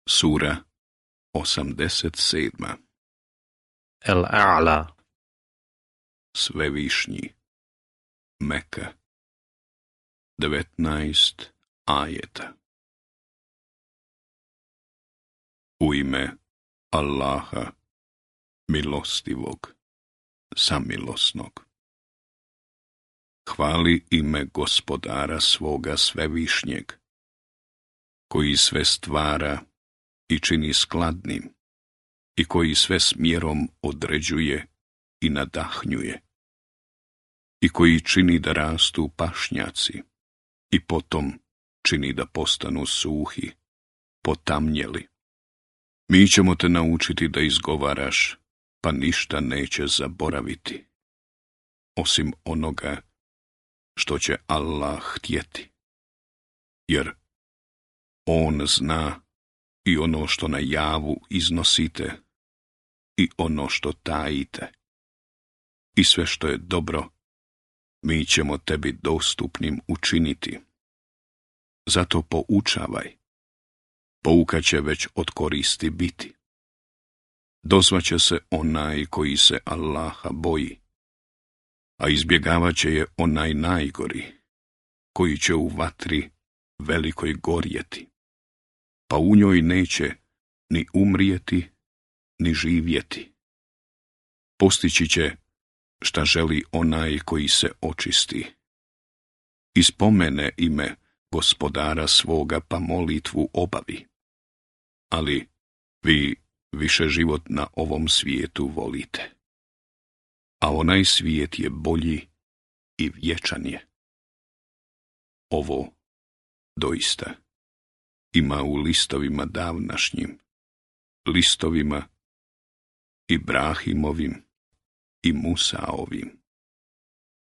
Sura 87. El-A'la. Svevišnji. Meka. 19 ajeta. U ime Allaha, milostivog, samilosnog. Hvali ime Gospodara svoga svevišnjeg, koji sve stvara i čini skladnim, i koji sve smjerom određuje i nadahnjuje, i koji čini da rastu pašnjaci, i potom čini da postanu suhi, potamnjeli. Mi ćemo te naučiti da izgovaraš, pa ništa neće zaboraviti, osim onoga što će Allah htjeti, jer On zna i ono što na javu iznosite i ono što tajite. I sve što je dobro, mi ćemo tebi dostupnim učiniti. Zato poučavaj. Pouka će već od koristi biti. Dozvaće se onaj koji se Allaha boji, a izbjegavat će je onaj najgori, koji će u vatri velikoj gorjeti, pa u njoj neće ni umrijeti, ni živjeti. Postići će šta želi onaj koji se očisti. I spomene ime Gospodara svoga, pa molitvu obavi. Ali vi više život na ovom svijetu volite, a onaj svijet je bolji i vječan je. Ovo doista ima u listovima davnašnjim, listovima Ibrahimovim i Musaovim.